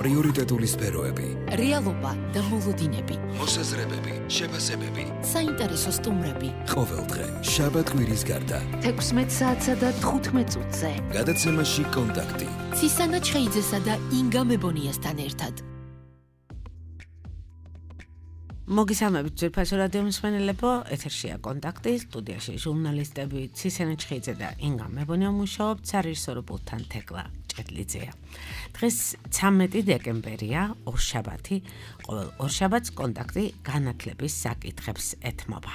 პრიორიტეტული სფეროები, რეალობა და მოლოდინები, მოსაზრებები, შეფასებები, საინტერესო სტუმრები. ყოველდღე შაბათ-კვირის გარდა 16 საათსა და 15 წუთზე. გადაცემაში კონტაქტი. ცისანა ჩხეიძესა და ინგა მებონიასთან ერთად. მოგესალმებით ძვირფასო რადიო მსმენელებო, ეთერშია კონტაქტი, სტუდიაში ჟურნალისტები ცისანა ჩხეიძე და ინგა მებონია მუშაობთ, სარეჟისორობთან თეკლა ჭედლიძეა. დღეს 13 დეკემბერია, ორშაბათი, ყოველ ორშაბათს კონტაქტი განათლების საკითხებს ეთმობა.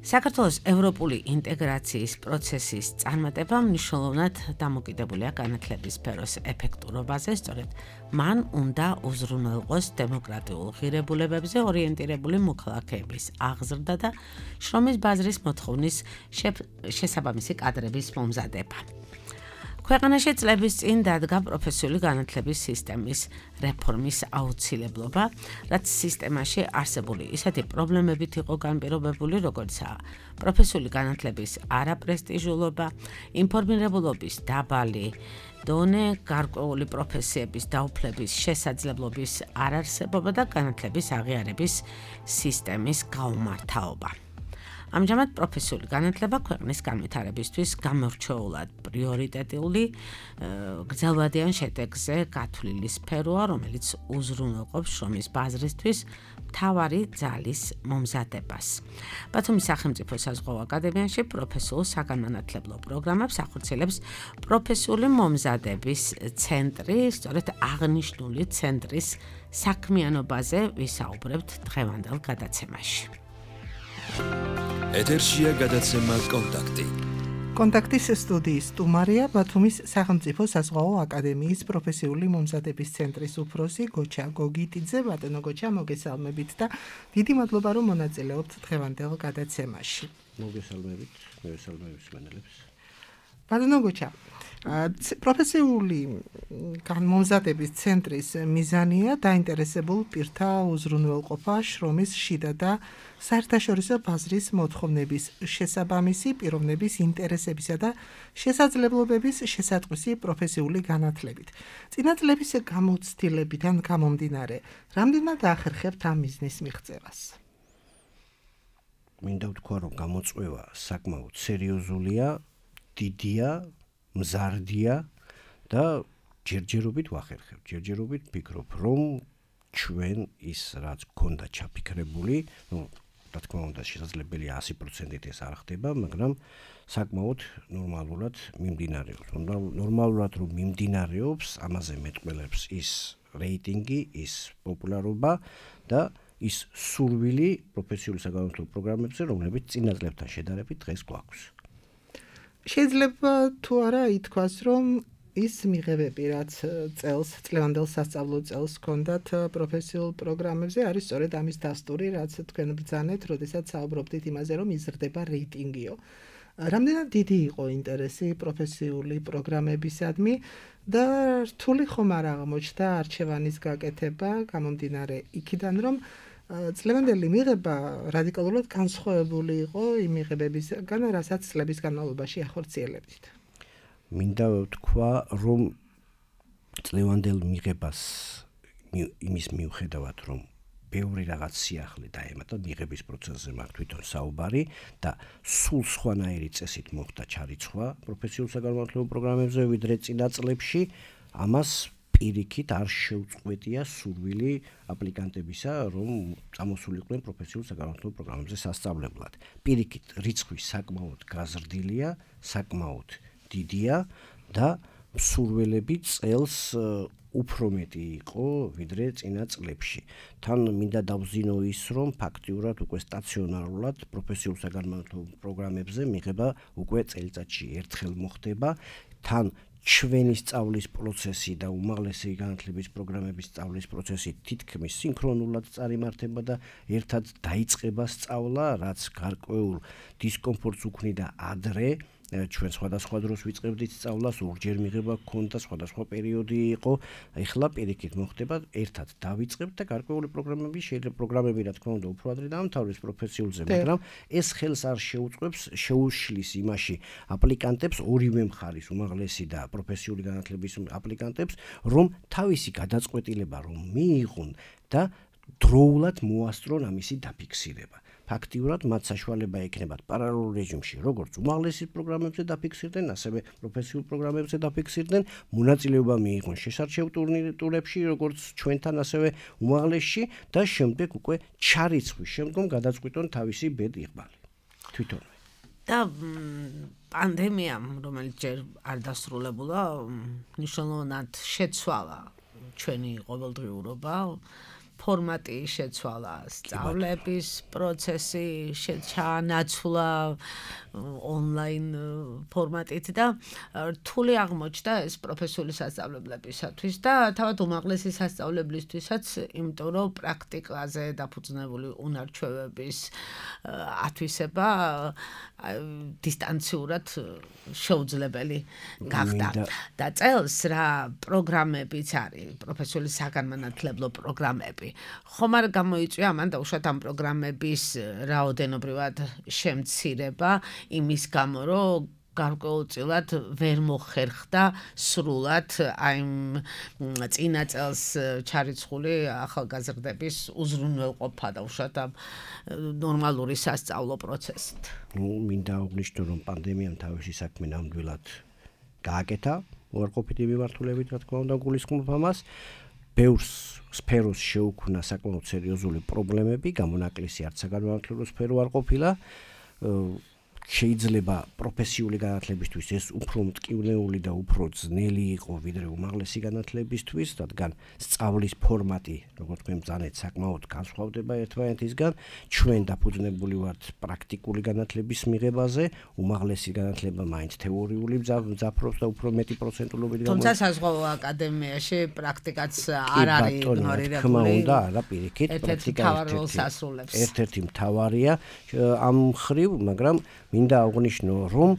საქართველოს ევროპული ინტეგრაციის პროცესის წარმატება მნიშვნელოვნად დამოკიდებულია განათლების სფეროს ეფექტურობაზე, სწორედ მან უნდა უზრუნველყოს დემოკრატიულ ღირებულებებზე ორიენტირებული მოქალაქეების აღზრდა და შრომის ბაზრის მოთხოვნის შესაბამისი კადრების მომზადება. ქვეყანაში წლების წინ დადგა პროფესიული განათლების სისტემის რეფორმის აუცილებლობა, რაც სისტემაში არსებული ისეთი პრობლემებით იყო განპირობებული, როგორიცაა პროფესიული განათლების არაპრესტიჟულობა, ინფორმირებულობის დაბალი დონე, გარკვეული პროფესიების დაუფლების შესაძლებლობის არარსებობა და განათლების აღიარების სისტემის გაუმართავობა. ამჟამად პროფესიული განათლება ქვეყნის განვითარებისთვის გამორჩეულად პრიორიტეტული გრძელვადიან შედეგზე გათვლილი სფეროა, რომელიც უზრუნველყოფს შრომის ბაზრისთვის მთავარი ძალის მომზადებას. ბათუმის სახელმწიფო საზღვაო აკადემიაში პროფესიულ საგანმანათლებლო პროგრამებს ახორციელებს პროფესიული მომზადების ცენტრი, სწორედ აღნიშნული ცენტრის საქმიანობაზე ვისაუბრებთ დღევანდელ გადაცემაში. ეთერშია გადაცემა კონტაქტი. კონტაქტის სტუდიის სტუმარია ბათუმის სახელმწიფო საზღვაო აკადემიის პროფესიული მომზადების ცენტრის უფროსი გოჩა გოგიტიძე. ბატონო გოჩა, მოგესალმებით და დიდი მადლობა რომ მონაწილეობთ დღევანდელ გადაცემაში. მოგესალმებით, მსმენელებს. ბატონო გოჩა, პროფესიული განმომზადების ცენტრის მიზანია დაინტერესებულ პირთა უზრუნველყოფა შრომის შიდა და საერთაშორისო ბაზრის მოთხოვნების შესაბამისი პიროვნების ინტერესებისა და შესაძლებლობების შესატყვისი პროფესიული განათლებით. წინა წლების გამოცდილებიდან გამომდინარე, რამდენად ახერხებთ ამ მიზნის მიღწევას? მინდა ვთქვა, რომ გამოწვევა საკმაოდ სერიოზულია, დიდია, მზარდია და ჯერჯერობით ვახერხებ. ჯერჯერობით ვფიქრობ, რომ ჩვენ ის რაც გქონდა ჩაფიქრებული, რა თქმა უნდა, შესაძლებელია 100%-ით ეს არ ხდება, მაგრამ საკმაოდ ნორმალურად მიმდინარეობს. ნორმალურად რომ მიმდინარეობს, ამაზე მეტყველებს ის რეიტინგი, ის პოპულარობა და ის სურვილი პროფესიული საგანმანათლებლო პროგრამებზე, რომლებიც წინა წლებთან შედარებით დღეს გვაქვს. შეიძლება თუ არა ითქვას, რომ ის მიღებები, რაც წლევანდელ სასწავლო წელს ჰქონდათ პროფესიულ პროგრამებზე, არის სწორედ ამის დასტური, რაც თქვენ ბრძანეთ, როდესაც საუბრობდით იმაზე, რომ იზრდება რეიტინგიო. რამდენად დიდი იყო ინტერესი პროფესიული პროგრამებისადმი და რთული ხომ არ აღმოჩნდა არჩევანის გაკეთება, გამომდინარე იქიდან, რომ წლევანდელი მიღება რადიკალურად განსხვავებული იყო იმ მიღებებისგან, რასაც წლების განმავლობაში ახორციელებდით. მინდა ვთქვა, რომ წლევანდელ მიღებას იმის მიუხედავად, რომ ბევრი რაღაც სიახლე დაემატა მიღების პროცესზე მაქვს თვითონ საუბარი და სულ სხვანაირი წესით მოხდა ჩარიცხვა პროფესიულ საგანმანათლებლო პროგრამებზე, ვიდრე წინა წლებში, ამას პირიქით არ შეუწყვეტია სურვილი აპლიკანტებისა, რომ წამოსულიყვნენ პროფესიულ საგანმანათლებლო პროგრამებზე სასწავლებლად. პირიქით რიცხვი საკმაოდ გაზრდილია, საკმაოდ დიდია და სურვილები წელს უფრო მეტი იყო ვიდრე წინა წლებში. თან მინდა დავზინო ის, რომ ფაქტიურად უკვე სტაციონარულად პროფესიულ საგანმანათლებლო პროგრამებზე მიღება უკვე წელიწადში ერთხელ მოხდება. თან ჩვენი სწავლის პროცესი და უმაღლესი განათლების პროგრამების სწავლის პროცესი თითქმის სინქრონულად წარიმართება და ერთად დაიწყება სწავლა, რაც გარკვეულ დისკომფორტს უქმნიდა ადრე ჩვენ სხვადასხვა დროს ვიწყებდით სწავლას, ორჯერ მიღება გქონდა, სხვადასხვა პერიოდი იყო. ეხლა პირიქით მოხდება, ერთად დავიწყებთ და გარკვეული პროგრამები შეიძლება პროგრამები რა თქმა უნდა უფრო ადრე დაამთავრდეს პროფესიულზე, მაგრამ ეს ხელს არ შეუწყობს, შეუშლის იმაში აპლიკანტებს ორივე მხარის უმაღლესი და პროფესიული განათლების აპლიკანტებს, რომ თავისი გადაწყვეტილება რომ მიიღონ და დროულად მოასწრონ ამისი დაფიქსირება. ფაქტიურად მათ საშუალება ექნებათ პარალელურ რეჟიმში, როგორც უმაღლესი პროგრამებზე დაფიქსირდნენ, ასევე პროფესიულ პროგრამებზე დაფიქსირდნენ, მონაწილეობა მიიღონ შესარჩევ ტურებში, როგორც ჩვენთან, ასევე უმაღლესში და შემდეგ უკვე ჩარიცხვის შემდგომ გადაწყვიტონ თავისი ბედ-იղბალი. თვითონვე. და პანდემიამ, რომელიც ჯერ არ დასრულებულა, მნიშვნელოვნად შეცვალა ჩვენი ყოველდღიურობა. ფორმატი შეცვალა, სწავლების პროცესი ჩაანაცვლა ონლაინ ფორმატით და რთული აღმოჩნდა ეს პროფესიული სასწავლებლებისათვის და თავად უმაღლესი სასწავლებლისთვისაც, იმიტომ რომ პრაქტიკაზე დაფუძნებული უნარჩვევების ათვისება დისტანციურად შეუძლებელი გახდა. და წელს რა პროგრამებიც არის, პროფესიული საგანმანათლებლო პროგრამები. ხომ არ გამოიწვია ამან დაუშვათ ამ პროგრამების რაოდენობრივად შემცირება იმის გამო, რომ გარკვეულწილად ვერ მოხერხდა სრულად აი წინა წელს ჩარიცხული ახალგაზრდების უზრუნველყოფა დაუშვათ ამ ნორმალური სასწავლო პროცესით. მინდა აღვნიშნო, რომ პანდემიამ თავისი საქმე ნამდვილად გააკეთა უარყოფითი მიმართულებით, რა თქმა უნდა, გულისხმობ ამას. ბევრ სფეროს შეუქმნა საკმაოდ სერიოზული პრობლემები, გამონაკლისი არც საგანმანათლებლო სფერო არ ყოფილა. შეიძლება პროფესიული განათლებისთვის ეს უფრო მტკივნეული და უფრო ძნელი იყო ვიდრე უმაღლესი განათლებისთვის, რადგან სწავლის ფორმატი, როგორც მე მძანეთ, საკმაოდ განსხვავდება ერთმანეთისგან. ჩვენ დაფუძნებული ვართ პრაქტიკული განათლების მიღებაზე, უმაღლესი განათლება მაინც თეორიული მძაფრობს და უფრო მეტი პროცენტულობით თუმცა საზღვაო აკადემიაში პრაქტიკაც არ არის იგნორირებული. თქმა უნდა, არა პირიქით, პრაქტიკა ერთ-ერთი მთავარია ამ მხრივ, მაგრამ მინდა აღვნიშნო, რომ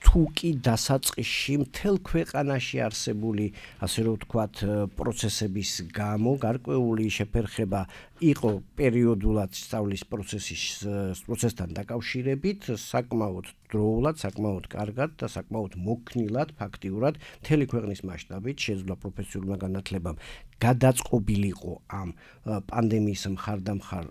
თუ კი დასაწყისში მთელ ქვეყანაში არსებული, ასე რომ ვთქვათ, პროცესების გამო გარკვეული შეფერხება იყო პერიოდულად სწავლის პროცესთან დაკავშირებით, საკმაოდ დროულად, საკმაოდ კარგად და საკმაოდ მოქნილად ფაქტიურად მთელი ქვეყნის მასშტაბით შეძლო პროფესიულმა განათლებამ გადაწყობილიყო ამ პანდემიის მხარდამხარ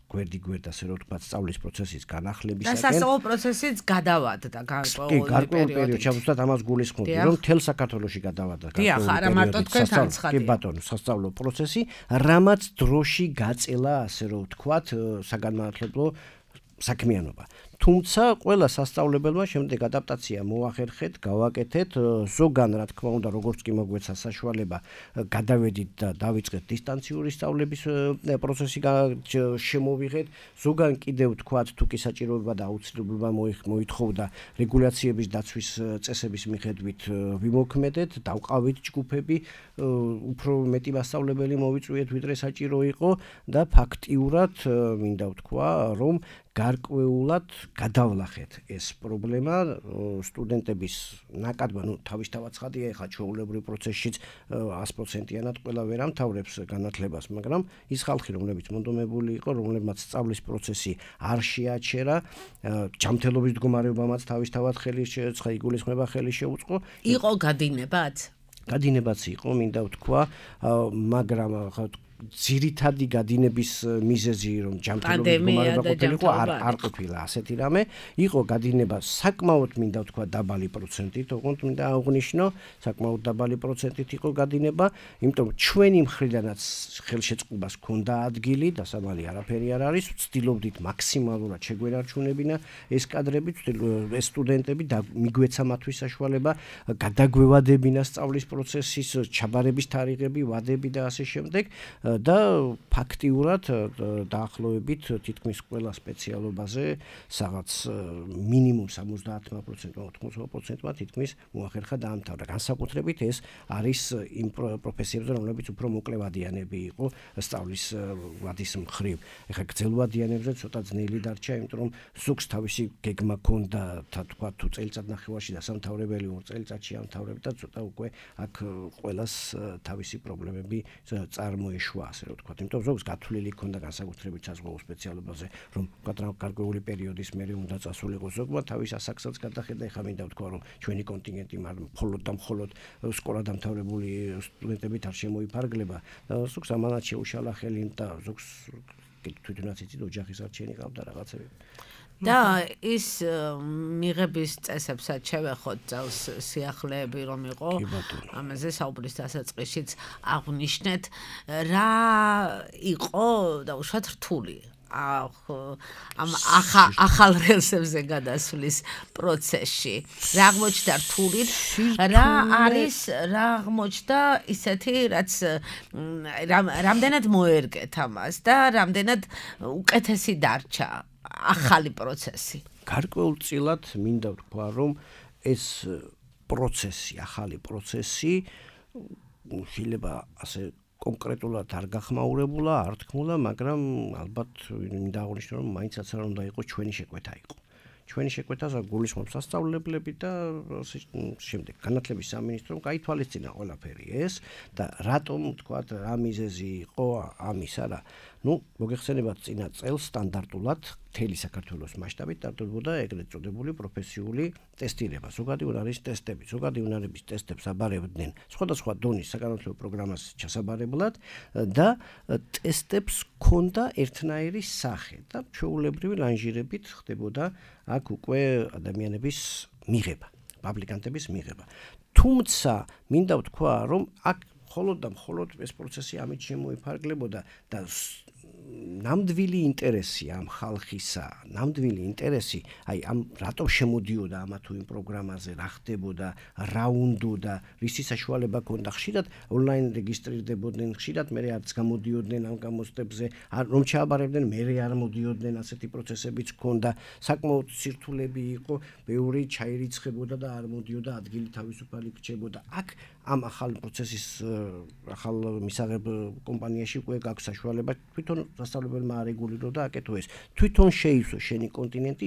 გვერდ-გვერდ, ასე რომ ვთქვათ, სწავლის პროცესის განახლებისაკენ. და სასწავლო პროცესიც გადავადდა გარკვეული პერიოდით. ჩავუშვათ ამას გულისხმობდი, რომ მთელ საქართველოში გადავადდა გარკვეული არა მარტო თქვენთან ცხადია. კი ბატონო, სასწავლო პროცესი, რამაც დროში გაწელა, ასე რომ ვთქვათ, საგანმანათლებლო საქმიანობა. თუმცა ყველა სასწავლებელმა შემდეგ ადაპტაცია მოახერხეთ, გავაკეთეთ, ზოგან რა თქმა უნდა, როგორც კი მოგვეცა საშუალება, გადავედით და დავიწყეთ დისტანციური სწავლების პროცესი შემოვიღეთ, ზოგან კიდევ ვთქვათ, თუ კი საჭიროება და აუცილებლობა მოითხოვდა რეგულაციების დაცვის წესების მიხედვით ვიმოქმედეთ, დავყავით ჯგუფები, უფრო მეტი მასწავლებელი მოვიწვიეთ, ვიდრე საჭირო იყო და ფაქტიურად მინდა ვთქვა, რომ გარკვეულად გადავლახეთ ეს პრობლემა სტუდენტების ნაკადმა, თავისთავად ცხადია, ეხლა ჩვეულებრივ პროცესშიც 100%-იანად ყველა ვერ ამთავრებს განათლებას, მაგრამ ის ხალხი, რომლებიც მონდომებული იყო, რომლებმაც სწავლის პროცესი არ შეაჩერა, ჯანმრთელობის მდგომარეობამაც თავისთავად იგულისხმება ხელი შეუწყო. იყო გადინებაც? გადინებაც იყო, მინდა ვთქვა, მაგრამ ძირითადი გადინების მიზეზი, რომ ჯანმრთელობის მდგომარეობა ყოფილიყო, არ ყოფილა ასეთი რამე. იყო გადინება საკმაოდ, მინდა ვთქვა, დაბალი პროცენტით, ოღონდ მინდა აღვნიშნო, საკმაოდ დაბალი პროცენტით იყო გადინება, იმიტომ რომ ჩვენი მხრიდანაც ხელშეწყობას ჰქონდა ადგილი, დასამალი არაფერი არ არის, ვცდილობდით მაქსიმალურად შეგვენარჩუნებინა ეს კადრები, ეს სტუდენტები და მიგვეცა მათთვის საშუალება გადაგვევადებინა სწავლის პროცესის ჩაბარების თარიღები, ვადები და ასე შემდეგ. და ფაქტიურად დაახლოებით თითქმის ყველა სპეციალობაზე რაღაც მინიმუმ 70%-მა 80%-მა თითქმის მოახერხა დაამთავრა. განსაკუთრებით ეს არის იმ პროფესიებზე, რომლებიც უფრო მოკლევადიანები იყო სწავლის ვადის მხრივ. ეხლა გრძელვადიანებზე ცოტა ძნელი დარჩა, იმიტომ რომ ზოგს თავისი გეგმა ჰქონდა, თქვა თუ წელიწადნახევარში დასამთავრებელი 2 წელიწადში ამთავრებდა და ცოტა უკვე აქ ყველას თავისი პრობლემები წარმოეშვა, ასე რომ ვთქვათ. იმიტომ რომ ზოგს გათვლილი ჰქონდა განსაკუთრებით საზღვაო სპეციალობაზე, რომ გარკვეული პერიოდის მერე უნდა წასულიყო. ზოგმა თავის ასაკსაც გადახედა, ეხლა მინდა ვთქვა, რომ ჩვენი კონტინგენტი მხოლოდ და მხოლოდ სკოლა დამთავრებული სტუდენტებით არ შემოიფარგლება. ზოგს ამანაც შეუშალა ხელი და ზოგს თვითონაც იცით ოჯახის არჩენი ყავდა რაღაცები. და ის მიღების წესებსაც შევეხოთ წელს სიახლეები რომ იყო ამაზე საუბრის დასაწყისშიც აღვნიშნეთ რა იყო დაუშვათ რთული ამ ახალ რელსებზე გადასვლის პროცესში რა აღმოჩნდა რთული რა აღმოჩნდა ისეთი რაც რამდენად მოერგეთ ამას და რამდენად უკეთესი დარჩა ახალი პროცესი. გარკვეულწილად მინდა ვთქვა, რომ ეს პროცესი, ახალი პროცესი შეიძლება ასე კონკრეტულად არ გახმაურებულა, არ თქმულა, მაგრამ ალბათ მინდა აღვნიშნო, რომ მაინცაც არ უნდა იყოს ჩვენი შეკვეთა იყო. ჩვენი შეკვეთას გულისხმობს სასწავლებლები და შემდეგ განათლების სამინისტრომ გაითვალისწინა ყველაფერი ეს და რატომ თქვა რა მიზეზი იყო ამისა რა მოგეხსენებათ წინა წელს სტანდარტულად მთელი საქართველოს მასშტაბით ტარდებოდა ეგრეთ წოდებული პროფესიული ტესტირება. ზოგადი უნარის ტესტები, ზოგადი უნარების ტესტებს აბარებდნენ სხვადასხვა დონის საგანმანათლებლო პროგრამას ჩასაბარებლად და ტესტებს ჰქონდა ერთნაირი სახე და ჩვეულებრივი ლანჟირებით ხდებოდა აქ უკვე ადამიანების მიღება, პაბლიკანტების მიღება. თუმცა მინდა ვთქვა, რომ აქ მხოლოდ და მხოლოდ ეს პროცესი ამით შემოიფარგლებოდა და ნამდვილი ინტერესი ამ ხალხისა, ნამდვილი ინტერესი, აი ამ რატომ შემოდიოდა ამა თუ იმ პროგრამაზე, რა ხდებოდა, რა უნდოდა, რისი საშუალება ჰქონდა, ხშირად ონლაინ რეგისტრირდებოდნენ, ხშირად მერე არც გამოდიოდნენ ამ გამოცდებზე, რომ ჩააბარებდნენ, მერე არ მოდიოდნენ, ასეთი პროცესებიც ჰქონდა, საკმაოდ სირთულეები იყო, ბევრი ჩაირიცხებოდა და არ მოდიოდა, ადგილი თავისუფალი რჩებოდა. აქ ამ ახალ პროცესის ახალ მისაღებ კომპანიაში უკვე გაქვს საშუალება თვითონ სასწავლებელმა არეგულიროს და აკეთო ეს. თვითონ შეივსო შენი კონტინენტი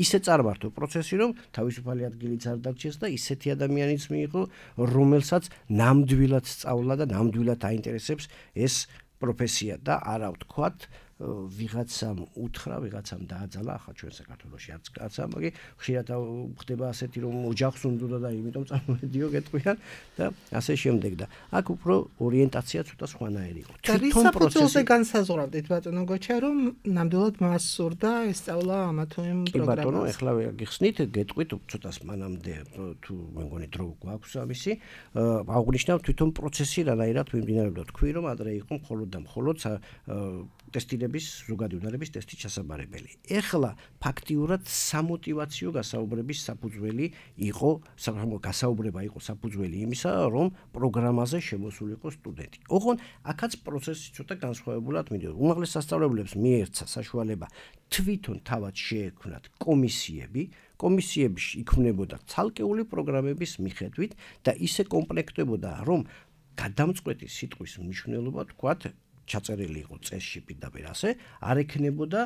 ისე წარმართო პროცესი, რომ თავისუფალი ადგილიც არ დარჩეს და ისეთი ადამიანიც მიიღო, რომელსაც ნამდვილად სწავლა და ნამდვილად აინტერესებს ეს პროფესია და არა ვთქვათ ვიღაცამ უთხრა, ვიღაცამ დააძალა, ახლა ჩვენ საქართველოში არც კაცსა, მაგრამ ხშირად ხდება ასეთი რომ ოჯახს უნდოდა და იმიტომ წარმოვედიო გეტყვიან და ასე შემდეგ და აქ უფრო ორიენტაცია ცოტა სხვანაირი იყო. თვითონ პროცესზე განსაზღვრავდით ბატონო გოჩა, რომ ნამდვილად მას სურდა ესწავლა ამა თუ იმ პროგრამას. კი ბატონო, ეხლა გიხსნით, გეტყვით ცოტას მანამდე თუ მე მგონი დრო გვაქვს ამისი, აღვნიშნავ თვითონ პროცესი რანაირად მიმდინარეობდა. თქვი რომ ადრე იყო მხოლოდ და მხოლოდ ტესტირების ზოგადი უნარების ტესტი ჩასაბარებელი. ეხლა ფაქტიურად სამოტივაციო გასაუბრების საფუძველი იყო, გასაუბრება იყო საფუძველი იმისა, რომ პროგრამაზე შემოსულიყო სტუდენტი. ოღონ აქაც პროცესი ცოტა განსხვავებულად მიდიოდა. უმაღლეს სასწავლებლებს მიერცა საშუალება თვითონ თავად შეექმნათ კომისიებში იქმნებოდა ცალკეული პროგრამების მიხედვით და ისე კომპლექტებოდა, რომ გადამწყვეტი სიტყვის მნიშვნელობა თქვათ ჩაწერილი იყო წესში პირდაპირ ასე, არ ექნებოდა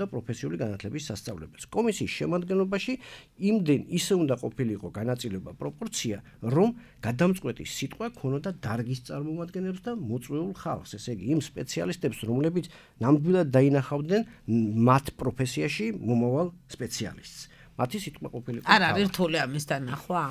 პროფესიული განათლების სასწავლებელს. კომისიის შემადგენლობაში იმდენ ისე უნდა ყოფილიყო განაწილება პროპორცია, რომ გადამწყვეტი სიტყვა ქონოდა დარგის წარმომადგენლებს და მოწვეულ ხალხს, ესე იგი იმ სპეციალისტებს, რომლებიც ნამდვილად დაინახავდნენ მათ პროფესიაში მომავალ სპეციალისტს. მათი სიტყვა ყოფილიყო. არ არის რთული ამის დანახვა?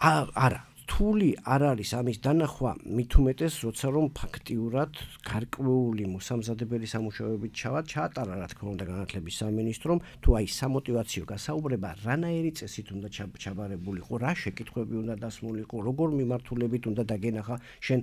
არა. რთული არ არის ამის დანახვა, მით უმეტეს, როცა რომ ფაქტიურად გარკვეული მოსამზადებელი სამუშაოებით ჩაატარა, რა თქმა უნდა, განათლების სამინისტრომ, თუ აი სამოტივაციო გასაუბრება რანაირი წესით უნდა ჩაბარებულიყო, რა შეკითხვები უნდა დასმულიყო, როგორ მიმართულებით უნდა დაგენახა შენ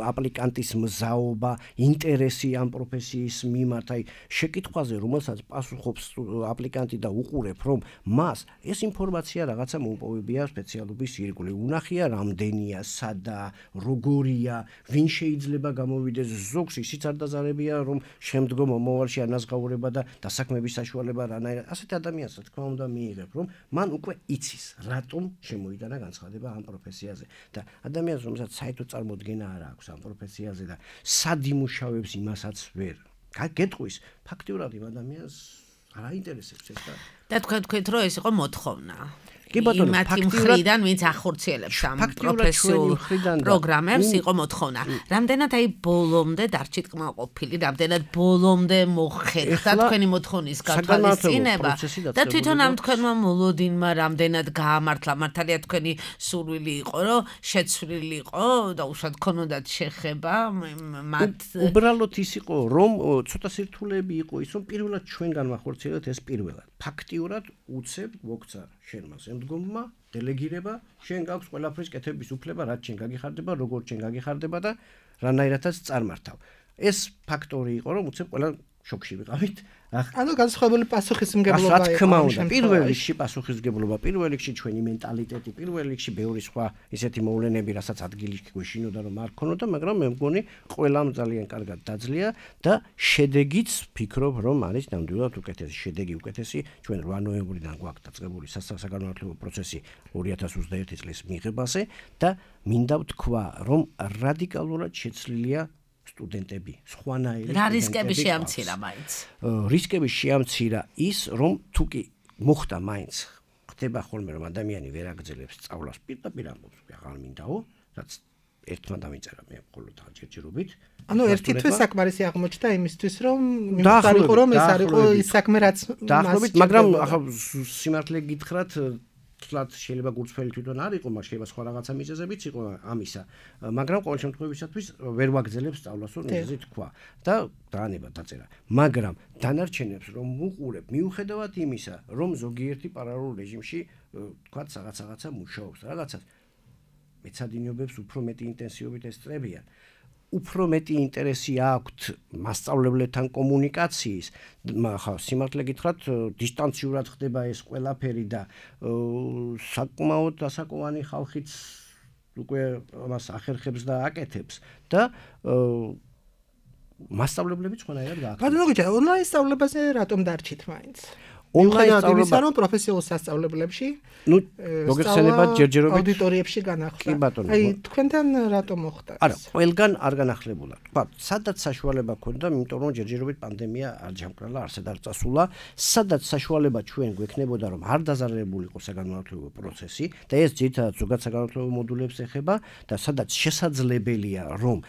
აპლიკანტის მზაობა, ინტერესი ამ პროფესიის მიმართ, აი შეკითხვაზე, რომელსაც პასუხობს აპლიკანტი და უყურებ, რომ მას ეს ინფორმაცია რაღაცა მოუპოვებია სპეციალობის ირგვლივ. უნახია ინფორმაცია რამდენია, სადა, როგორია, ვინ შეიძლება გამოვიდეს ზოგს ისიც არ დაზარებია რომ შემდგომ მომავალში ანაზღაურება და დასაქმების საშუალება რანაირად ასეთ ადამიანს რა თქმა უნდა მიიღებ რომ მან უკვე იცის რატომ შემოიტანა განცხადება ამ პროფესიაზე და ადამიანს რომელსაც საერთოდ წარმოდგენა არ აქვს ამ პროფესიაზე და სად იმუშავებს იმასაც ვერ გეტყვის ფაქტიურად იმ ადამიანს არ აინტერესებს ეს და თქვენ რომ ეს იყო მოთხოვნა კი ბატონო ფაქტიურად ვინც ახორციელებს ამ პროფესიულ პროგრამებს იყო მოთხოვნა რამდენად აი ბოლომდე დარჩით კმაყოფილი რამდენად ბოლომდე მოხერხდა თქვენი მოთხოვნის გათვალისწინება და თვითონ ამ თქვენმა მოლოდინმა რამდენად გაამართლა მართალია თქვენი სურვილი იყო რომ შეცვლილი იყო და უშუალოდ ქონოდათ შეხება მათ უბრალოდ ის იყო რომ ცოტა სირთულეები იყო ის რომ პირველად ჩვენ განვახორციელებთ ეს პირველად ფაქტიურად უცებ მოგცა შენმა შემდგომმა დელეგირება შენ გაქვს ყველაფრის კეთების უფლება რაც შენ გაგიხარდება როგორ შენ გაგიხარდება და რანაირადაც წარმართავ ეს ფაქტორი იყო რომ უცებ ყველა შოქში ვიყავით ანუ განსხვავებული პასუხისმგებლობა იყო რა თქმა უნდა პირველ რიგში პასუხისმგებლობა პირველ რიგში ჩვენი მენტალიტეტი პირველ რიგში ბევრი სხვა ისეთი მოვლენები რასაც ადგილი გვეშინოდა რომ არ ქონოდა მაგრამ მე მგონი ყველამ ძალიან კარგად დაძლია და შედეგიც ფიქრობ რომ არის ნამდვილად უკეთესი შედეგი უკეთესი ჩვენ 8 ნოემბრიდან გვაქვს დაწყებული საგანმანათლებლო პროცესი 2021 წლის მიღებაზე და მინდა ვთქვა რომ რადიკალურად შეცვლილია სტუდენტები, სხვანაირი რა რისკები შეამცირა მაინც? რისკები შეამცირა ის, რომ თუ კი მოხდა მაინც ხდება ხოლმე რომ ადამიანი ვერ აგრძელებს სწავლას პირდაპირ ამბობს, აღარ მინდაო, რაც ერთმა დამიწერა მე მხოლოდ ჯერჯერობით. ანუ ერთი თვე საკმარისი აღმოჩნდა იმისთვის, რომ მიხარიყო რომ ეს არ იყო ის საქმე რაც დაახლოებით, მაგრამ ახლა სიმართლე გითხრათ თლად შეიძლება გულწრფელი თვითონ არ იყო, მაგრამ შეიძლება სხვა რაღაცა მიზეზებიც იყო ამისა. მაგრამ ყოველ შემთხვევისათვის ვერ ვაგრძელებს სწავლას, რომ ისე თქვა და დაანება დაწერა. მაგრამ დანარჩენებს რომ უყურებ, მიუხედავად იმისა, რომ ზოგიერთი პარალელურ რეჟიმში თქვა რაღაცა მუშაობს, რაღაცას მეცადინეობებს უფრო მეტი ინტენსივობით ესწრებიან. უფრო მეტი ინტერესი აქვთ მასწავლებლებთან კომუნიკაციის, ხა სიმართლე გითხრათ, დისტანციურად ხდება ეს ყველაფერი და საკმაოდ დასაკვანი ხალხიც უკვე ამას ახერხებს და აკეთებს და მასწავლებლებიც ყველანაირად გააკეთებს. ბატონო გიჩა, ონლაინ სწავლებაზე რატომ დარჩით მაინც? ონლაინ სწავლება რომ პროფესიულ სასწავლებლებში მოგეხსენება ჯერჯერობით აუდიტორიებში განახლა. კი ბატონო. აი თქვენთან რატომ მოხდა? არა, ყველგან არ განახლებულა. თქვა, სადაც საშუალება ქონდა, იმიტომ რომ ჯერჯერობით პანდემია არ ჯამკრალა, არსად არ წასულა, სადაც საშუალება ჩვენ გვექნებოდა რომ არ დაზარალებულიყო საგანმანათლებლო პროცესი და ეს ძირითადად ზოგად საგანმანათლებლო მოდულებს ეხება და სადაც შესაძლებელია რომ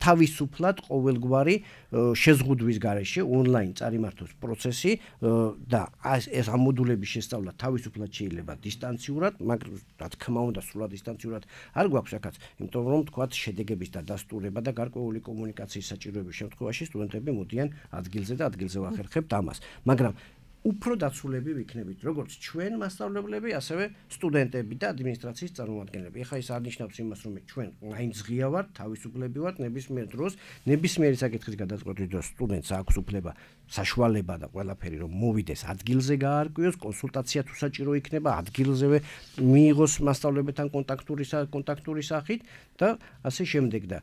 თავისუფლად ყოველგვარი შეზღუდვის გარეშე ონლაინ წარიმართოს პროცესი და ეს ამ მოდულების შესწავლა თავისუფლად შეიძლება დისტანციურად, მაგრამ რა თქმა უნდა სრულად დისტანციურად არ გვაქვს აქაც, იმიტომ რომ თქვათ შედეგების და დასტურება და გარკვეული კომუნიკაციის საჭიროების შემთხვევაში სტუდენტები მოდიან ადგილზე და ადგილზე ვახერხებთ ამას. მაგრამ უფრო დაცულები ვიქნებით, როგორც ჩვენ მასწავლებლები, ასევე სტუდენტები და ადმინისტრაციის წარმომადგენლები. ეხლა ეს არნიშნავს იმას, რომ ჩვენ მაინც ღია ვართ, თავისუფლები ვართ ნებისმიერ დროს, ნებისმიერი საკითხის გადაწყვეტის დროს სტუდენტს აქვს უფლება, საშუალება და ყველაფერი რომ მოვიდეს ადგილზე გაარკვიოს, კონსულტაცია თუ საჭირო იქნება, ადგილზევე მიიღოს მასწავლებელთან კონტაქტური სახით და ასე შემდეგ და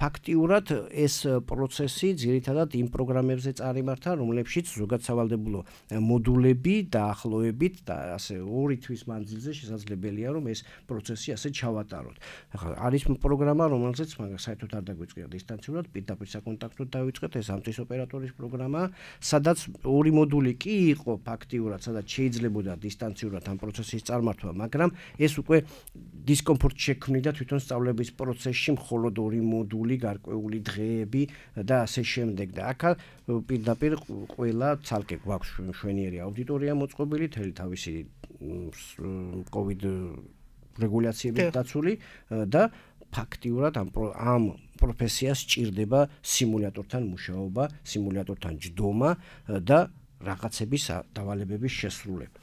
ფაქტიურად ეს პროცესი ძირითადად იმ პროგრამებზე წარიმართა, რომლებშიც ზოგად სავალდებულო მოდულები დაახლოებით და ასე 2 თვის მანძილზე შესაძლებელია რომ ეს პროცესი ასე ჩავატაროთ. ახლა არის პროგრამა რომელზეც მაგრამ საერთოდ არ დაგვიწყია დისტანციურად, პირდაპირ საკონტაქტოდ დავიწყეთ ეს ამტრის ოპერატორის პროგრამა, სადაც 2 მოდული კი იყო ფაქტიურად, სადაც შეიძლებოდა დისტანციურად ამ პროცესის წარმართვა, მაგრამ ეს უკვე დისკომფორტ შექმნიდა თვითონ სწავლების პროცესში მხოლოდ 2 მოდული, გარკვეული დღეები და ასე შემდეგ და აქ პირდაპირ ყველა ცალკე გვაქვს შვენიერი აუდიტორია მოწყობილი, თელი თავისი COVID რეგულაციებით დაცული და ფაქტიურად ამ პროფესიას სჭირდება სიმულატორთან მუშაობა, სიმულატორთან ჯდომა და რაღაცების დავალებების შესრულება.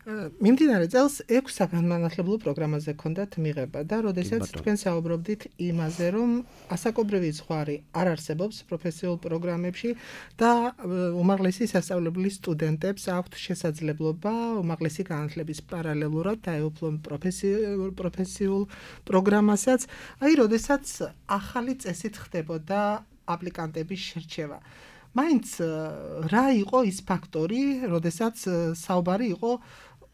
მიმდინარე წელს 6 საგანმანათლებლო პროგრამაზე ჰქონდათ მიღება და როდესაც თქვენ საუბრობდით იმაზე, რომ ასაკობრივი ზღვარი არ არსებობს პროფესიულ პროგრამებში და უმაღლესი სასწავლებლის სტუდენტებს აქვთ შესაძლებლობა უმაღლესი განათლების პარალელურად დაეუფლონ პროფესიულ პროგრამასაც, აი როდესაც ახალი წესით ხდებოდა აპლიკანტების შერჩევა. მაინც რა იყო ის ფაქტორი, როდესაც საუბარი იყო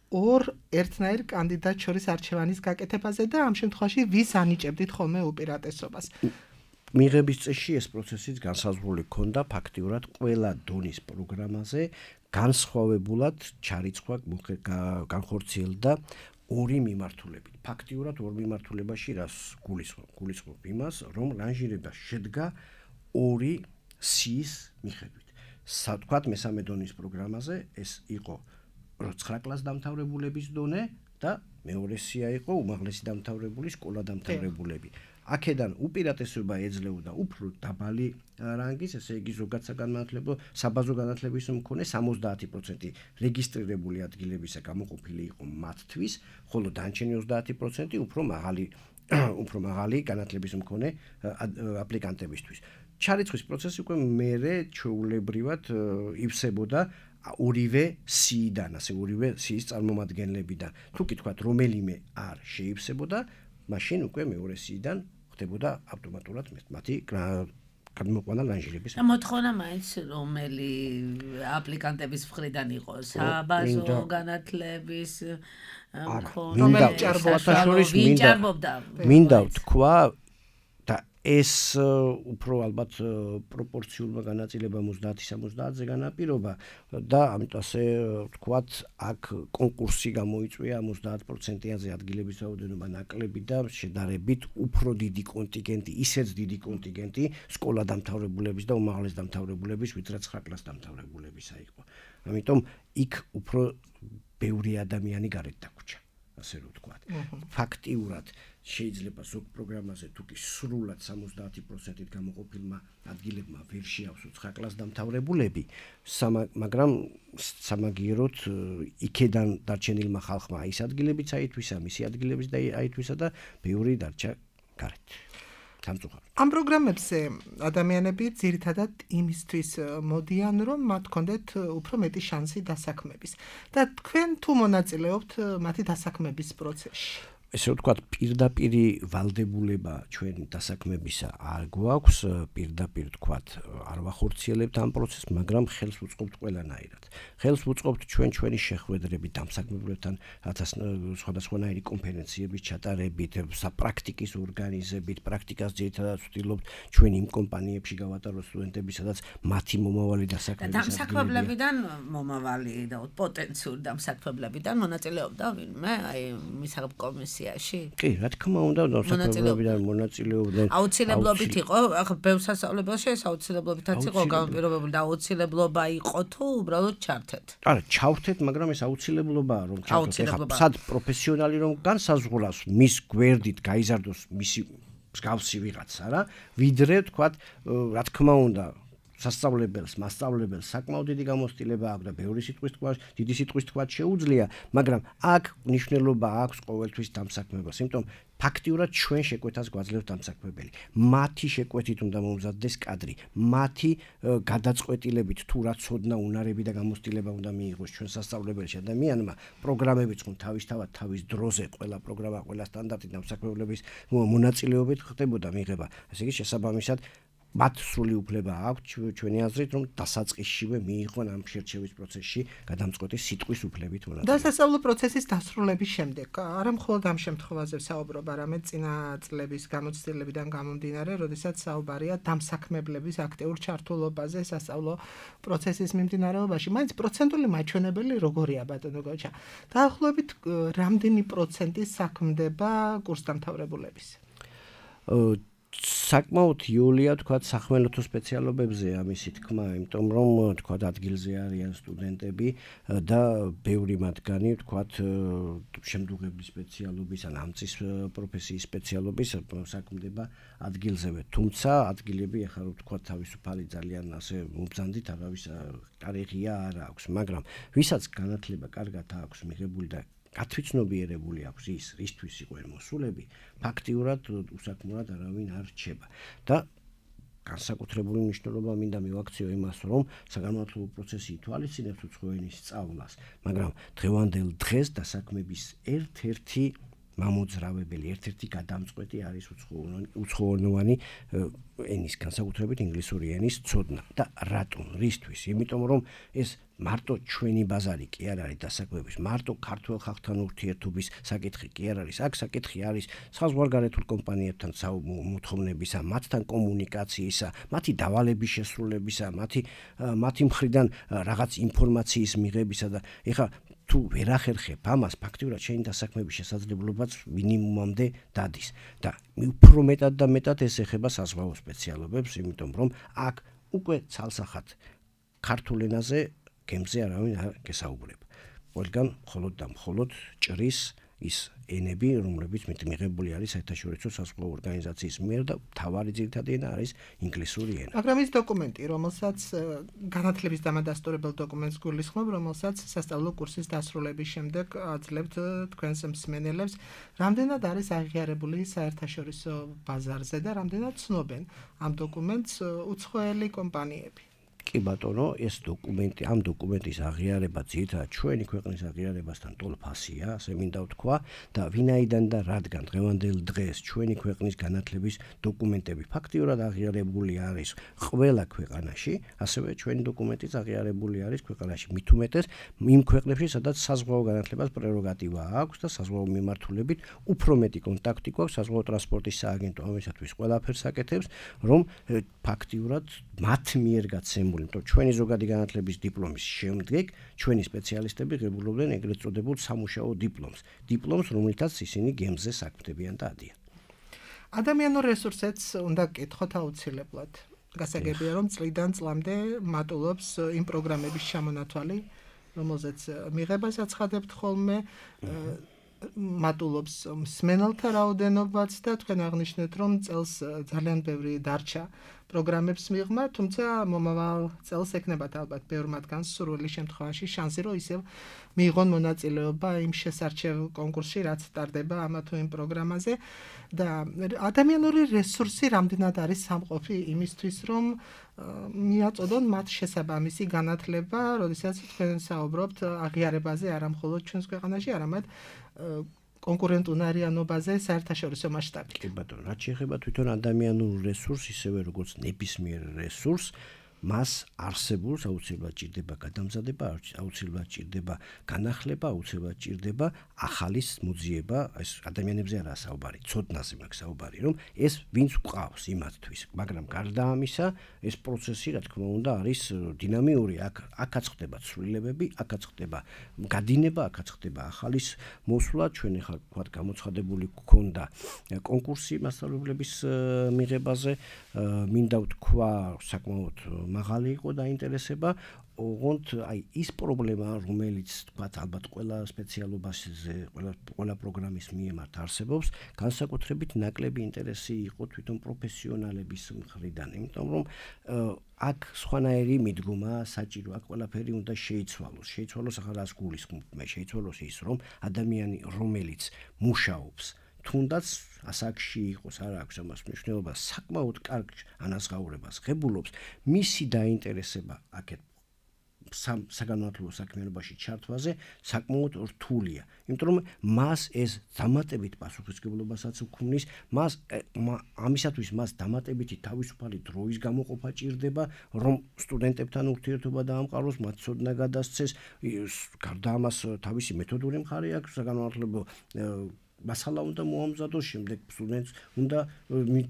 ორ ერთნაირ კანდიდატ შორის არჩევანის გაკეთებაზე და ამ შემთხვევაში ვის ანიჭებდით ხოლმე უპირატესობას? მიღების წესში ეს პროცესიც განსაზღვრული ჰქონდა ფაქტიურად ყველა დონის პროგრამაზე განსხვავებულად ჩარიცხვა განხორციელდა ორი მიმართულებით. ფაქტიურად ორ მიმართულებაში რას გულისხმობ იმას, რომ რანჟირება შედგა ორი სიის მიხედვით. თქვათ მესამე დონის პროგრამაზე ეს იყო 9 კლასს დამთავრებულების დონე და მეორე სია იყო უმაღლესი დამთავრებული სკოლა დამთავრებულები. აქედან უპირატესობა ეძლეოდა უფრო დაბალი რანგის, ესე იგი ზოგად საგანმანათლებლო საბაზო განათლების მქონე 70% რეგისტრირებული ადგილებისა გამოყოფილი იყო მათთვის, ხოლო დანარჩენი 30% უფრო მაღალი განათლების მქონე აპლიკანტებისთვის. ჩარიცხვის პროცესი უკვე მერე ჩვეულებრივად ივსებოდა ორივე სიიდან, ასე ორივე სიის წარმომადგენლებიდან. თუ კი თქვათ რომელიმე არ შეივსებოდა, მაშინ უკვე მეორე სიიდან ხდებოდა ავტომატურად მათი გადმოყვანა რანჟირების. და მოთხოვნა მაინც რომელი აპლიკანტების მხრიდან იყო საბაზო განათლების რომელი ჭარბობდა. მინდა ვთქვა და ეს უფრო ალბათ პროპორციულმა განაწილებამ 30-70-ზე განაპირობა და ამიტომ ასე ვთქვათ, აქ კონკურსი გამოიწვია 30%-ზე ადგილების რაოდენობა ნაკლები და შედარებით უფრო დიდი კონტინგენტი, ისეც დიდი კონტინგენტი სკოლა დამთავრებულების და უმაღლეს დამთავრებულების, ვიდრე 9 კლას დამთავრებულებისა იყო. ამიტომ იქ უფრო ბევრი ადამიანი გარეთ დაგვრჩა, ასე რომ ვთქვათ. ფაქტიურად შეიძლება ზოგ პროგრამაზე თუ კი სრულად 70%-ით გამოყოფილმა ადგილებმა ვერ შეავსო 9 კლას დამთავრებულები, მაგრამ სამაგიეროდ იქედან დარჩენილმა ხალხმა ის ადგილებიც აითვისა, მისი ადგილებიც აითვისა და ბევრი დარჩა გარეთ. ამ პროგრამებზე ადამიანები ძირითადად იმისთვის მოდიან, რომ მათ ჰქონდეთ უფრო მეტი შანსი დასაქმების. და თქვენ თუ მონაწილეობთ მათი დასაქმების პროცესში? ესე ვთქვათ, პირდაპირი ვალდებულება ჩვენ დასაქმებისა არ გვაქვს, პირდაპირ ვთქვათ, არ ვახორციელებთ ამ პროცესს, მაგრამ ხელს ვუწყობთ ყველანაირად. ხელს ვუწყობთ ჩვენი შეხვედრებით დამსაქმებლებთან, რათაც სხვადასხვანაირი კონფერენციების ჩატარებით, საპრაქტიკის ორგანიზებით, პრაქტიკას ძირითადად ვცდილობთ ჩვენ იმ კომპანიებში გავატაროთ სტუდენტები, სადაც მათი მომავალი დასაქმების დამსაქმებლებიდან მომავალი და პოტენციური დამსაქმებლებიდან მონაწილეობდა ვინმე აი მისაღებ კომისიაში? კი, რა თქმა უნდა, დასაქმებლებიდან მონაწილეობდნენ. აუცილებლობით იყო, ახლა ბევრ სასწავლებელში ეს აუცილებლობითაც იყო განპირობებული და აუცილებლობა იყო თუ უბრალოდ ჩართეთ? არა, ჩავთეთ, მაგრამ ეს აუცილებლობაა, რომ ჩავთეთ. ეხლა სად პროფესიონალი რომ განსაზღვრავს, მის გვერდით გაიზარდოს მისი მსგავსი ვიღაცა რა, ვიდრე თქვათ, რა თქმა უნდა, მასწავლებელს საკმაოდ დიდი გამოცდილება აქვს და ბევრი დიდი სიტყვის თქვა შეუძლია, მაგრამ აქ მნიშვნელობა აქვს ყოველთვის დამსაქმებას. იმიტომ ფაქტიურად ჩვენ შეკვეთას გვაძლევს დამსაქმებელი. მათი შეკვეთით უნდა მომზადდეს კადრი, მათი გადაწყვეტილებით თუ რა ცოდნა, უნარები და გამოცდილება უნდა მიიღოს ჩვენ სასწავლებელში ადამიანმა, პროგრამებიც ხომ თავისთავად თავის დროზე ყველა პროგრამა, ყველა სტანდარტი დამსაქმებლების მონაწილეობით ხდებოდა მიღება. ასე იგი შესაბამისად მათ სრული უფლება აქვს ჩვენი აზრით, რომ დასაწყისშივე მიიღონ ამ შერჩევის პროცესში გადამწყვეტი სიტყვის უფლებით მონაწილეობა. დასასწავლო პროცესის დასრულების შემდეგ, არა მხოლოდ ამ შემთხვევაზე საუბრობ, არამედ წინა წლების გამოცდილებიდან გამომდინარე, როდესაც საუბარია დამსაქმებლების აქტიურ ჩართულობაზე სასწავლო პროცესის მიმდინარეობაში. მაინც პროცენტული მაჩვენებელი როგორია, ბატონო გოჩა? დაახლოებით რამდენი პროცენტი საქმდება კურსდამთავრებულების? საკმაოდ იულია თქვა სახმელეთო სპეციალობებზე ამისი თქმა, იმიტომ რომ თქვა ადგილზე არიან სტუდენტები და ბევრი მათგანი თქვა შემდგომი სპეციალობის ან ამწის პროფესიის სპეციალობის საქმდება ადგილზევე. თუმცა ადგილები ახლა რომ თქვა თავისუფალი ძალიან ასე მობრძანდით არავის კარიერა არ აქვს, მაგრამ ვისაც განათლება კარგად აქვს მიღებული და გათვითცნობიერებული აქვს ის, რისთვის იყო მოსულები, ფაქტიურად უსაქმურად არავინ არ რჩება. და განსაკუთრებული მნიშვნელობა მინდა მივაქციო იმას, რომ საგანმანათლებლო პროცესი ითვალისწინებს უცხო ენის სწავლას, მაგრამ დღევანდელ დღეს დასაქმების ერთ-ერთი მამოძრავებელი, ერთ-ერთი გადამწყვეტი არის უცხოენოვანი ენის, განსაკუთრებით ინგლისური ენის ცოდნა. და რატომ? რისთვის? იმიტომ რომ ეს მარტო ჩვენი ბაზარი კი არ არის დასაქმების, მარტო ქართულ ხალხთან ურთიერთობის საკითხი კი არ არის. აქ საკითხი არის საზღვარგარეთულ კომპანიებთან მოთხოვნებისა, მათთან კომუნიკაციისა, მათი დავალების შესრულებისა, მათი მხრიდან რაღაც ინფორმაციის მიღებისა და ეხლა თუ ვერ ახერხებ ამას, ფაქტიურად შენი დასაქმების შესაძლებლობაც მინიმუმამდე დადის. და უფრო მეტად და მეტად ეს ეხება საზღვაო სპეციალობებს, იმიტომ რომ აქ უკვე ცალსახად ქართულ ენაზე გემზე არავინ არ გესაუბრება. ყველგან მხოლოდ და მხოლოდ ჭრის ის ენები, რომლებიც მიღებული არის საერთაშორისო საზღვაო ორგანიზაციის მიერ და მთავარი ძირითადი ენა არის ინგლისური ენა. მაგრამ ის დოკუმენტი, რომელსაც განათლების დამადასტურებელ დოკუმენტს გულისხმობ, რომელსაც სასწავლო კურსის დასრულების შემდეგ აძლევთ თქვენს მსმენელებს, რამდენად არის აღიარებული საერთაშორისო ბაზარზე და რამდენად ცნობენ ამ დოკუმენტს უცხოელი კომპანიები? კი ბატონო, ეს დოკუმენტი, ამ დოკუმენტის აღიარება ძირითადად ჩვენი ქვეყნის აღიარებასთან ტოლფასია, ასე მინდა ვთქვა და ვინაიდან და რადგან დღევანდელ დღეს ჩვენი ქვეყნის განათლების დოკუმენტები ფაქტიურად აღიარებული არის ყველა ქვეყანაში, ასევე ჩვენი დოკუმენტიც აღიარებული არის ქვეყანაში. მით უმეტეს იმ ქვეყნებში, სადაც საზღვაო განათლებას პრეროგატივა აქვს და საზღვაო მიმართულებით უფრო მეტი კონტაქტი გვაქვს საზღვაო ტრანსპორტის სააგენტო ამისათვის ყველაფერს აკეთებს, რომ ფაქტიურად მათ მიერ გაცემული ჩვენი ზოგადი განათლების დიპლომის შემდეგ ჩვენი სპეციალისტები ღებულობდნენ ეგრეთ წოდებულ სამუშაო დიპლომს, რომელთაც ისინი გემზე საქმდებიან და ადიან. ადამიანურ რესურსებს უნდა გკითხოთ აუცილებლად. გასაგებია, რომ წლიდან წლამდე მატულობს იმ პროგრამების ჩამონათვალი, რომელზეც მიღებას აცხადებთ ხოლმე, მატულობს მსმენელთა რაოდენობაც და თქვენ აღნიშნეთ, რომ წელს ძალიან ბევრი დარჩა პროგრამებს მიღმა, თუმცა მომავალ წელს ექნებათ ალბათ ბევრ მათგანს სურვილი შემთხვევაში შანსი, რომ ისევ მიიღონ მონაწილეობა იმ შესარჩევ კონკურსში, რაც ტარდება ამა თუ იმ პროგრამაზე და ადამიანური რესურსი რამდენად არის სამყოფი იმისთვის, რომ მიაწოდონ მათ შესაბამისი განათლება, როდესაც თქვენ საუბრობთ აღიარებაზე არა მხოლოდ ჩვენს ქვეყანაში, არამედ კონკურენტუნარიანობაზე საერთაშორისო მასშტაბით. კი ბატონო, რაც შეეხება თვითონ ადამიანურ რესურსს, ისევე როგორც ნებისმიერ რესურსს, მას არსებულს აუცილებლად ჭირდება გადამზადება, აუცილებლად ჭირდება განახლება, აუცილებლად ჭირდება ახალის მოძიება, ეს ადამიანებზე არაა საუბარი, ცოდნაზე მაქვს საუბარი, რომ ეს ვინც გვყავს იმათთვის, მაგრამ გარდა ამისა, ეს პროცესი, რა თქმა უნდა, არის დინამიური, აქაც ხდება ცვლილებები, აქაც ხდება გადინება, აქაც ხდება ახალის მოსვლა, ჩვენ ახლა ვთქვათ გამოცხადებული გქონდა კონკურსი მასწავლებლების მიღებაზე, მინდა ვთქვა საკმაოდ მაღალი იყო დაინტერესება, ოღონდ აი ის პრობლემა, რომელიც თქვათ ალბათ ყველა სპეციალობაზე, ყველა პროგრამის მიმართ არსებობს, განსაკუთრებით ნაკლები ინტერესი იყო თვითონ პროფესიონალების მხრიდან, იმიტომ რომ აქ სხვანაირი მიდგომა საჭირო, აქ ყველაფერი უნდა შეიცვალოს. შეიცვალოს ახლა რას გულისხმობ? მე შეიცვალოს ის, რომ ადამიანი, რომელიც მუშაობს თუნდაც ასაკში იყოს, არ აქვს ამას მნიშვნელობა, საკმაოდ კარგ ანაზღაურებას ღებულობს, მისი დაინტერესება აქეთ საგანმანათლებლო საქმიანობაში ჩართვაზე საკმაოდ რთულია. იმიტომ რომ მას ეს დამატებით პასუხისმგებლობასაც უქმნის, ამისათვის მას დამატებითი თავისუფალი დროის გამოყოფა ჭირდება, რომ სტუდენტებთან ურთიერთობა დაამყაროს, მათ ცოდნა გადასცეს, გარდა ამას თავისი მეთოდური მხარე აქვს საგანმანათლებლო მასალა უნდა მოამზადოს, შემდეგ სტუდენტს უნდა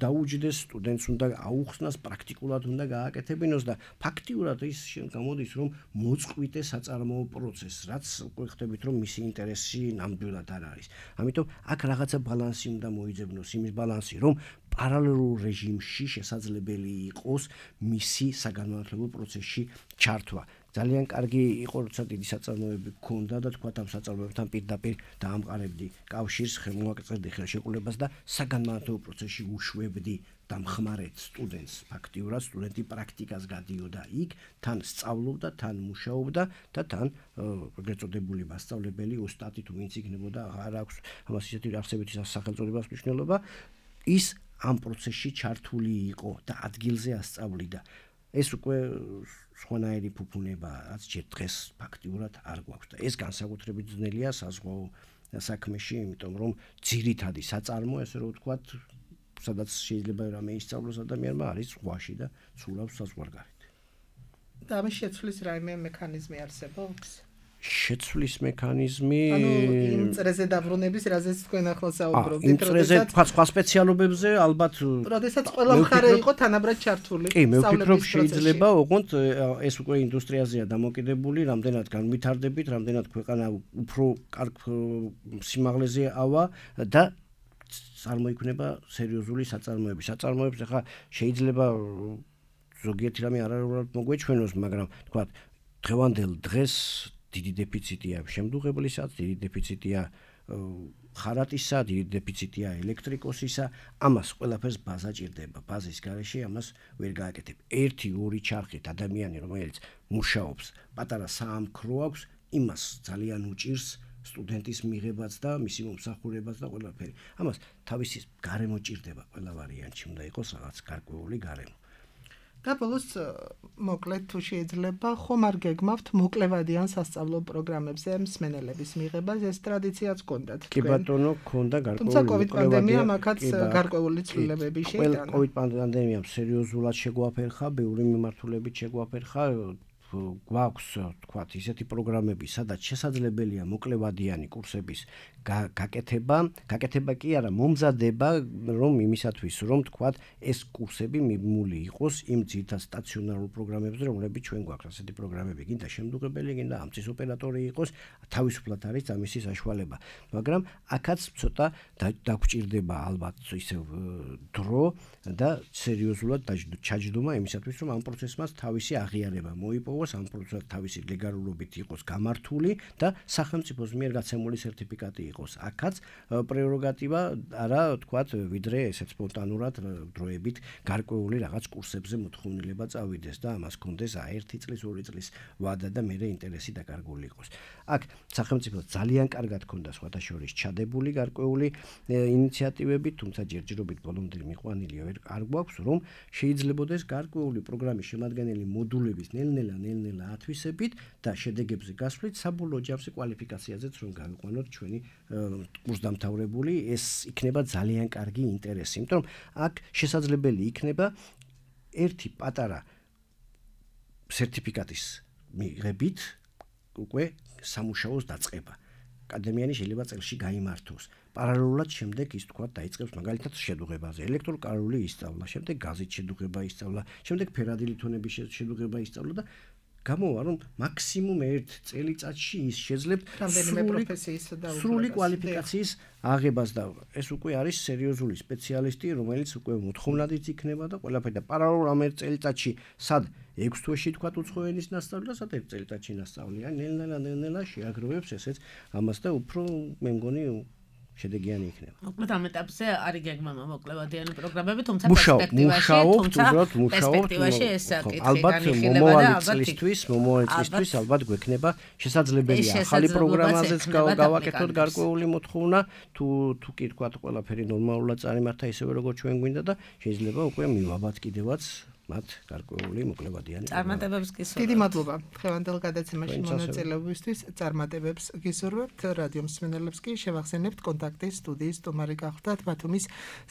დაუჯდეს, სტუდენტს უნდა აუხსნას, პრაქტიკულად უნდა გააკეთებინოს და ფაქტიურად ის გამოდის, რომ მოწყვიტე საწარმოო პროცესს, რაც უკვე ხდებით, რომ მისი ინტერესი ნამდვილად არ არის. ამიტომ აქ რაღაცა ბალანსი უნდა მოიძებნოს, იმის ბალანსი, რომ პარალელურ რეჟიმში შესაძლებელი იყოს მისი საგანმანათლებლო პროცესში ჩართვა. ძალიან კარგი იყო, როცა დიდი საწარმოები გქონდა და თქვა ამ საწარმოებთან პირდაპირ დაამყარებდი კავშირს, ხელმოაკრწებდი ხელშეკრულებას და საგანმანათლებლო პროცესში უშვებდი და მხმარეთ სტუდენტს. ფაქტიურად სტუდენტი პრაქტიკას გადიოდა იქ, თან სწავლობდა, თან მუშაობდა და თან ეგრეთ წოდებული მასწავლებელი ოსტატი თუ ვინც იქნებოდა, არ აქვს ამას ისეთი არსებითი სახელწოდებას მნიშვნელობა, ის ამ პროცესში ჩართული იყო და ადგილზე ასწავლიდა. ეს უკვე სხვანაირი ფუფუნებაა, რაც ჯერ დღეს ფაქტიურად არ გვაქვს და ეს განსაკუთრებით ძნელია საზღვაო საქმეში, იმიტომ რომ ძირითადი საწარმო, ესე რომ ვთქვათ, სადაც შეიძლება რამე ისწავლოს ადამიანმა, არის ზღვაში და ცურავს საზღვარგარეთ. და ამის შეცვლის რაიმე მექანიზმი არსებობს? შეცვლის მექანიზმი, ანუ იმ წრეზე დაბრუნების, რაზეც თქვენ ახლა საუბრობთ, იმ წრეზე სხვა სპეციალობებზე ალბათ, როდესაც ყველა მხარე იყო თანაბრად ჩართული. კი, მე ვფიქრობ შეიძლება, ოღონდ ეს უკვე ინდუსტრიაზეა დამოკიდებული, რამდენად განვითარდებით, რამდენად ქვეყანა უფრო კარგ სიმაღლეზე ავა და წარმოიქმნება სერიოზული საწარმოები. საწარმოებს ახლა შეიძლება ზოგიერთი რამე არაერთხელ მოგვეჩვენოს, მაგრამ თქვა დღევანდელ დღეს დიდი დეფიციტია შემდუღებლისას, დიდი დეფიციტია ხარატისა, დიდი დეფიციტია ელექტრიკოსისა, ამას ყველაფერს ბაზა ჭირდება. ბაზის გარეშე ამას ვერ გააკეთებ. 1-2 ჩარხით ადამიანი, რომელიც მუშაობს, პატარა საამქრო აქვს, იმას ძალიან უჭირს სტუდენტის მიღებაც და მისი მომსახურებაც და ყველაფერი. ამას თავისი გარემო ჭირდება, ყველა ვარიანტში უნდა იყოს რაღაც გარკვეული გარემო. და ბოლოს მოკლედ თუ შეიძლება, ხომ არ გეგმავთ მოკლევადიან სასწავლო პროგრამებზე მსმენელების მიღებას, ეს ტრადიციაც გქონდათ თქვენ? კი ბატონო, გქონდა გარკვეული. თუმცა COVID პანდემიამ აქაც გარკვეული ცვლილებები შეიტანა. COVID პანდემიამ სერიოზულად შეგვაფერხა, ბევრი მიმართულებით შეგვაფერხა. გვაქვს, თქვათ, ისეთი პროგრამები, სადაც შესაძლებელია მოკლევადიანი კურსების გაკეთება კი არა, მომზადება, რომ იმისათვის, რომ თქვათ, ეს კურსები მიმული იყოს იმ ძირითად სტაციონარულ პროგრამებზე, რომლებიც ჩვენ გვაქვს, ასეთი პროგრამები, გინდა შემდუღებელი, გინდა ამწის ოპერატორი იყოს, თავისუფლად არის ამისი საშუალება. მაგრამ აქაც ცოტა დაგვჭირდება ალბათ ისევ დრო და სერიოზულად ჩაჯდომა იმისათვის, რომ ამ პროცესმაც თავისი აღიარება მოიპოვოს, ამ პროცესს თავისი ლეგალურობით იყოს გამართული და სახელმწიფოს მიერ გაცემული სერტიფიკატი იყოს. აქაც პრეროგატივა არა, თქვათ, ვიდრე ესეც სპონტანურად დროებით გარკვეული რაღაც კურსებზე მოთხოვნილება წავიდეს და ამას კონდეს 1 წლის, 2 წლის ვადა და მერე ინტერესი დაკარგული იყოს. აქ სახელმწიფო ძალიან კარგად ქონდა სხვათა შორის ჩადებული გარკვეული ინიციატივები, თუმცა ჯერჯერობით ბოლომდე მიყვანილი არ გვაქვს, რომ შეიძლებოდეს გარკვეული პროგრამის შემადგენელი მოდულების ნელ-ნელა ათვისებით და შედეგებზე გასვლით საბოლოო ჯამში კვალიფიკაციაზეც რომ გავიყვანოთ ჩვენი კურსდამთავრებული, ეს იქნება ძალიან კარგი ინტერესი, იმიტომ რომ აქ შესაძლებელი იქნება ერთი პატარა სერტიფიკატის მიღებით უკვე სამუშაოს დაწყება. ადამიანი შეიძლება წელში გაიმართოს. პარალელურად შემდეგ ის თქვა დაიწყებს მაგალითად შედუღებაზე, ელექტროკარული ისწავლა, შემდეგ გაზით შედუღება ისწავლა, შემდეგ ფერადი ლითონების შედუღება ისწავლა და გამოვა რომ მაქსიმუმ 1 წელიწადში ის შეძლებს რამდენიმე პროფესიის და სრული კვალიფიკაციის აღებას და ეს უკვე არის სერიოზული სპეციალისტი, რომელიც უკვე მოთხოვნადიც იქნება და ყველაფერი და პარალელურად ამ 1 წელიწადში სად 6 თვეში თქვა უცხო ენის ნასწავლი და სად 1 წელიწადში ნასწავლია, ნელ-ნელა შეაგროვებს ესეც ამას და უფრო მე მგონი შედეგიანი იქნება. მოკლედ ამ ეტაპზე არის გეგმა მოკლევადიანი პროგრამები, თუმცა პერსპექტივაში ეს საკითხი განიხილება და მომავალ წლისთვის ალბათ გვექნება შესაძლებელია ახალი პროგრამაზეც გავაკეთოთ გარკვეული მოთხოვნა, თუ კი თქვა ყველაფერი ნორმალურად წარიმართა ისევე როგორც ჩვენ გვინდა და შეიძლება უკვე მივაბად კიდევაც მათ გარკვეული მოკლებადიანი. წარმატებებს გისურვებთ. დიდი მადლობა. დღევანდელ გადაცემაში მონაწილეობისთვის წარმატებებს გისურვებთ. რადიო მსმენელებს კი შევახსენებთ კონტაქტის სტუდიის სტუმარი გახლდათ ბათუმის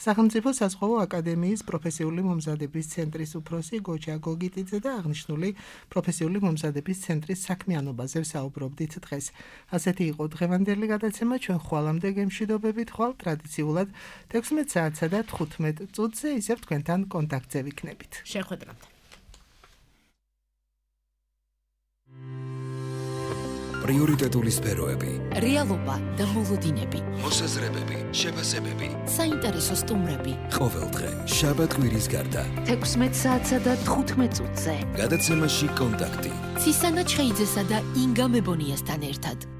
სახელმწიფო საზღვაო აკადემიის პროფესიული მომზადების ცენტრის უფროსი გოჯა გოგიტიძე და აღნიშნული პროფესიული მომზადების ცენტრის საქმიანობაზე ვსაუბრობდით დღეს. ასეთი იყო დღევანდელი გადაცემა. ჩვენ ხვალამდე გემშვიდობებით ხვალ ტრადიციულად 16 საათსა და 15 წუთზე ისევ თქვენთან კონტაქტზე ვიქნებით. შეხვედრამდე. პრიორიტეტული სფეროები, რეალობა და მოლოდინები, მოსაზრებები, შეფასებები, საინტერესო სტუმრები. ყოველდღე შაბათ კვირის გარდა 16 საათსა და 15 წუთზე. გადაცემაში კონტაქტი. ცისანა ჩხეიძესა და ინგა მებონიასთან ერთად.